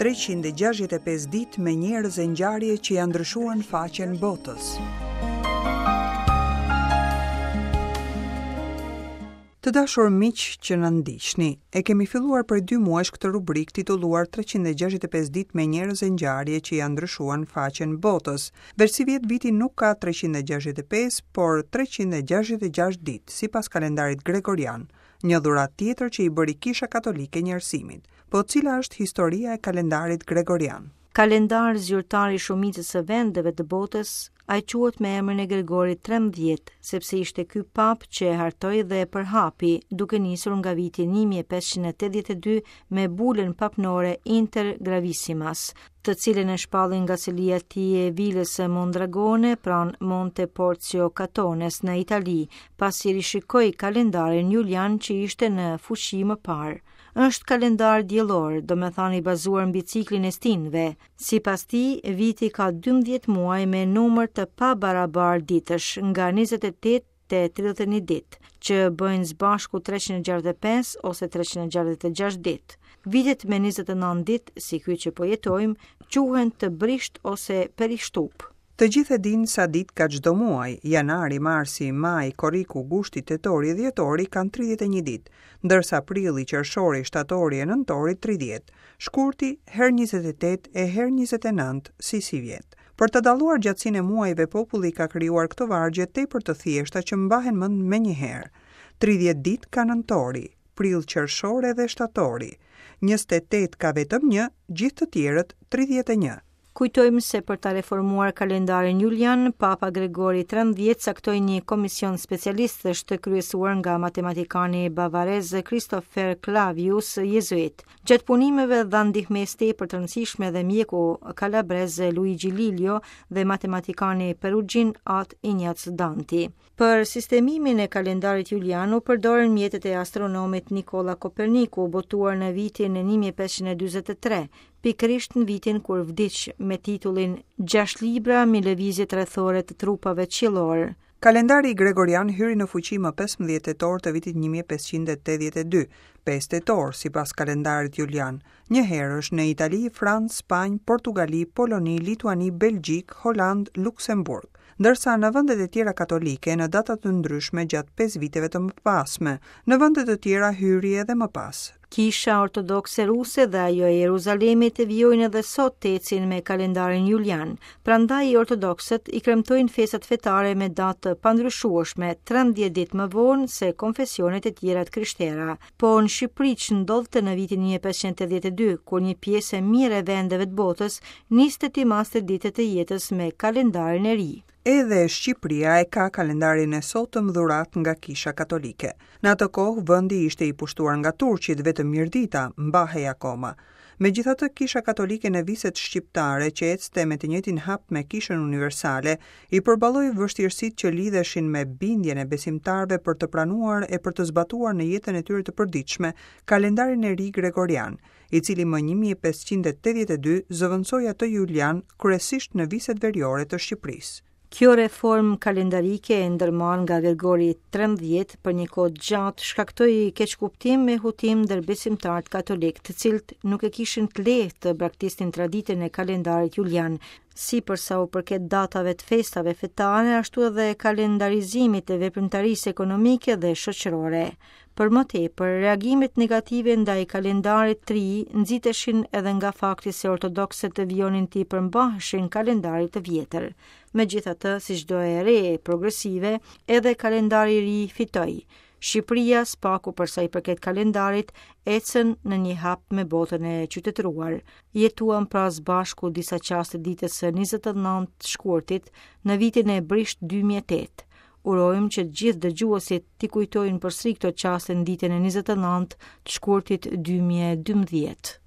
365 ditë me njerëz e ngjarje që ia ndryshuan faqen botës. Të dashur miq që na ndiqni, e kemi filluar prej dy muajsh këtë rubrikë titulluar 365 ditë me njerëz e ngjarje që ia ndryshuan faqen botës. Veç sivjet viti nuk ka 365, por 366 ditë, sipas kalendarit gregorian, një dhuratë tjetër që i bëri Kisha Katolike njerëzimit. Po cila është historia e kalendarit gregorian? Kalendar zyrtar i shumicës së vendeve të botës, ai quhet me emrin e Gregorit 13, sepse ishte ky papë që e hartoi dhe e përhapi, duke nisur nga viti 1582 me bulën papnore Inter Gravissimas, të cilën e shpalli nga selia e tij e vilës së Mondragone pranë Monte Porzio Catones në Itali, pasi rishikoi kalendarin Julian që ishte në fuqi më parë. Është kalendar diellor, domethënë i bazuar mbi ciklin e stinëve. Sipas tij, viti ka 12 muaj me numër të pabarabartë ditësh, nga 28 te 31 ditë, që bëjnë së bashku 365 ose 366 ditë. Vitet me 29 ditë, si ky që po jetojmë, quhen të brishtë ose perishtupë. Të gjithë e dinë sa ditë ka çdo muaj, janari, marsi, maji, korriku, gushti, tetori e dhjetori kanë 31 ditë, ndërsa prilli, qershori, shtatori e nëntori 30, shkurti herë 28 e herë 29, si sivjet. Për të dalluar gjatësinë e muajve populli ka krijuar këto vargje tepër të thjeshta që mbahen mend menjëherë. 30 ditë ka nëntori, prill qershor edhe shtatori. 28 ka vetëm një, gjithë të tjerët 31. Kujtojmë se për ta reformuar kalendarin Julian, Papa Gregori 13 caktoi një komision specialistësh të kryesuar nga matematikani bavarez Christopher Clavius, jezuit. Gjatë punimeve dha ndihmesë tepër të rëndësishme dhe mjeku kalabrez Luigi Lilio dhe matematikani perugjin At Ignac Danti. Për sistemimin e kalendarit Julian u përdorën mjetet e astronomit Nikola Koperniku, botuar në vitin 1543, pikërisht në vitin kur vdiq me titullin 6 libra mbi lëvizjet rrethore të trupave qiellorë. Kalendari Gregorian hyri në fuqi më 15 tetor të vitit 1582, 5 tetor sipas kalendarit Julian, njëherësh në Itali, Francë, Spanjë, Portugali, Poloni, Lituani, Belgjikë, Holandë, Luksemburg, ndërsa në vendet e tjera katolike në data të ndryshme gjatë 5 viteve të mëpasme, në vende të tjera hyri edhe më pas. Kisha Ortodokse Ruse dhe ajo e Jeruzalemit vijojnë edhe sot të ecin me kalendarin Julian. Prandaj ortodoksët i kremtojnë festat fetare me datë të pandryshueshme, 13 ditë më vonë se konfesionet e tjera të krishtera. Po në Shqipëri ç'ndodhte në vitin 1582, kur një pjesë e mirë e vendeve të botës niste t'i maste ditët e jetës me kalendarin e ri. Edhe Shqipëria e ka kalendarin e sotëm dhuratë nga Kisha Katolike. Në atë kohë vendi ishte i pushtuar nga turqit, vetëm Mirdita mbahej akoma. Megjithatë Kisha Katolike në viset shqiptare që ecte me të njëjtin hap me Kishën Universale, i përballoi vështirësitë që lidheshin me bindjen e besimtarëve për të pranuar e për të zbatuar në jetën e tyre të përditshme kalendarin e ri gregorian, i cili më 1582 zëvendësoi atë Julian kryesisht në viset veriore të Shqipërisë. Kjo reformë kalendarike e ndërmarrë nga Gregori 13 për një kohë të gjatë shkaktoi keqkuptim e hutim ndër besimtarët katolikë, të cilët nuk e kishin të lehtë të braktisnin traditën e kalendarit Julian, si për sa u përket datave të festave fetare, ashtu edhe kalendarizimit të veprimtarisë ekonomike dhe shoqërore. Për më tepër, reagimet negative ndaj kalendarit të ri nxiteshin edhe nga fakti se ortodoksët vijonin t'i përmbaheshin kalendarit të vjetër. Megjithatë, si çdo e re progresive, edhe kalendari i ri fitoi. Shqipëria, së paku për sa i përket kalendarit, ecën në një hap me botën e qytetëruar. Jetuam pra së bashku disa çaste ditës së 29 shkurtit në vitin e brishtë 2008. Urojmë që të gjithë dëgjuesit t'i kujtojnë përsëri këto çaste në ditën e 29 të shkurtit 2012.